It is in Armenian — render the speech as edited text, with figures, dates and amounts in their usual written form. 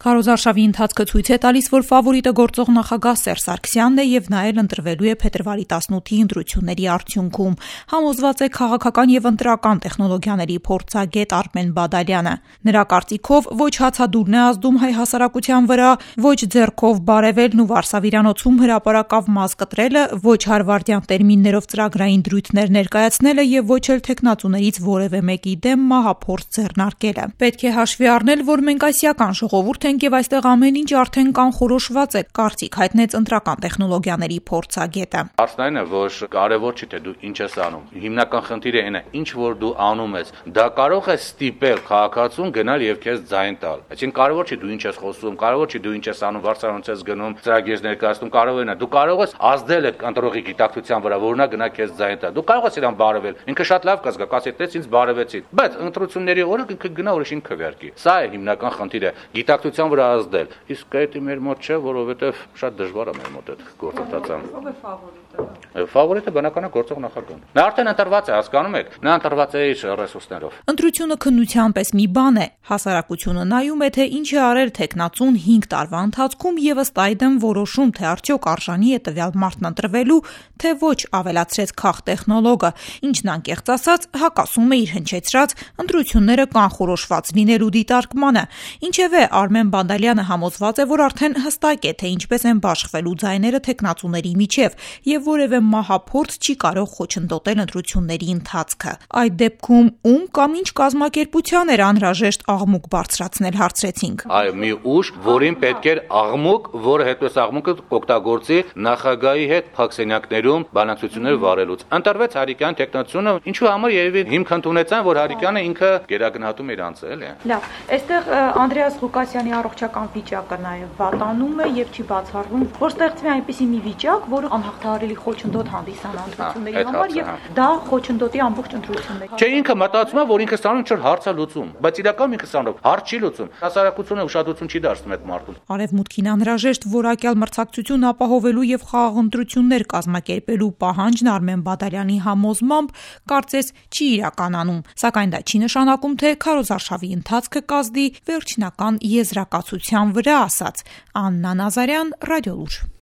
Քարոզարշավի ընթացքը ցույց է տալիս, որ ֆավորիտը գործող նախագահ Սերժ Սարգսյանն է եւ նա էլ ընտրվելու է փետրվարի 18-ի ընտրությունների արդյունքում, համոզված է քաղաքական եւ ընտրական տեխնոլոգիաների փորձագետ Արմեն Բադալյանը։ Նրա կարծիքով ոչ հացադուլն է ազդում հայ հասարակության վրա, ոչ ձեռքով բարևելն ու Վարշավիրանոցում հրապարակավ մազ կտրելը, ոչ հարվարդյան տերմիններով ծրագրային դրույթներ ներկայացնելը եւ ոչ էլ թեկնածուներից որևէ մեկի դեմ մահափորձ ձեռնարկելը։ Պետք է հաշվի առնել, որ մենք ասիական ժողովուրդ ենք եւ այստեղ ամեն ինչ արդեն կանխորոշված է, կարծիք հայտնեց ընտրական տեխնոլոգիաների փորձագետը։ Հարցն այն է, որ կարևոր չի թե դու ինչ ես անում։ Հիմնական խնդիրը այն է, ինչ որ դու անում ես, դա կարող է ստիպել քաղաքացուն գնալ եւ քեզ ձայն տալ։ Այսինքն կարևոր չի դու ինչ ես խոսում, կարևոր չի դու ինչ ես անում, վարչարանից ես գնում, ծրագիր ներկայացնում, կարող է նա։ Դու կարող ես ազդել այդ ընտրողի գիտակցության վրա, որ նա գնա քեզ ձայն տա։ Դու կարող ես իրան բարևել։ Ինքը շատ լավ կզգա, կասի, ինձ բարևեցի։ Բայց ընտրությունների օրը ինքը գնա ուրիշին քվեարկի։ Սա է հիմնական խնդիրը։ Գիտակցության վրա ազդել։ Իսկ դա մեր մոտ չէ, որովհետև շատ դժվար է մեր մոտ այդ գործընթացը։ Ո՞վ է ֆավորիտը։ Ֆավորիտը բնականաբար գործող նախագահն է։ Նա արդեն ընտրված է, հասկանում եք։ Նա ընտրված է իր ռեսուրսներով։ Ընտրությունը քննության պես մի բան է։ Հասարակությունը նայում է, թե ինչ է արել թեկնածուն 5 տարվա ընթացքում եւ ըստ այդմ որոշում, թե արդյոք արժանի է տվյալ մարդն ընտրվելու, թե ոչ, ավելացրեց քաղտեխնոլոգը, ինչն անկեղծ ասած հակասում է իր հնչեցրած ընտրությունները կանխորոշված լինելու դիտարկմանը։ Ինչևէ, Արմեն Բադալյանը համոզված է, որ արդեն հստակ է, թե ինչպես են բաշխվելու ձայները թեկնածուների միջև եւ որևէ մահափորձ չի կարող խոչընդոտել ընտրությունների ընթացքը։ Այդ դեպքում ում կամ ինչ կազմակերպության էր անհրաժեշտ աղմուկ բարձրացնել, հարցրեցինք։ Այո, մի ուժ, որին պետք էր աղմուկ, որը հետո այս աղմուկը կօգտագործի նախագահի հետ փակսենյակներում բանակցություններ վարելուց։ Ընտրվեց Հարիկյան տեխնացիոնը, ինչու համար երևի հիմք ընդունեցան, որ Հարիկյանը ինքը գերագնահատում իր անձը, էլի։ Լավ, այստեղ Անդրեաս Ղուկասյանի առողջական վիճակը նաև վատանում է եւ չի բացառվում, որ ստեղծվի այնպիսի մի վիճակ, որը անհաղթահարելի խոչընդոտ հանդիսանա ընտրությունների համար եւ դա խոչընդոտի ամբողջ ընտրությունները։ Չէ, ինքը մտածում է, որ ինքը ստանում ինչ-որ հարց է լուծում, բայց իրականում ինքը ստանում հարց չի լուծում։ Հասարակությունը ուշադրություն չի դարձնում այդ մարդուն։ Արևմուտքին անհրաժեշտ որակյալ մրցակցություն ապահովելու եւ խաղաղ ընտրություններ կազմակերպելու պահանջն Արմեն Բադալյանի համոզմամբ կարծես չի իրականանում, սակայն դա չի նշանակում, թե քարոզարշավի ընթացքը կազդի վերջնական եզրակացության վրա, ասաց Աննա Նազարյան, Ռադիոլուր։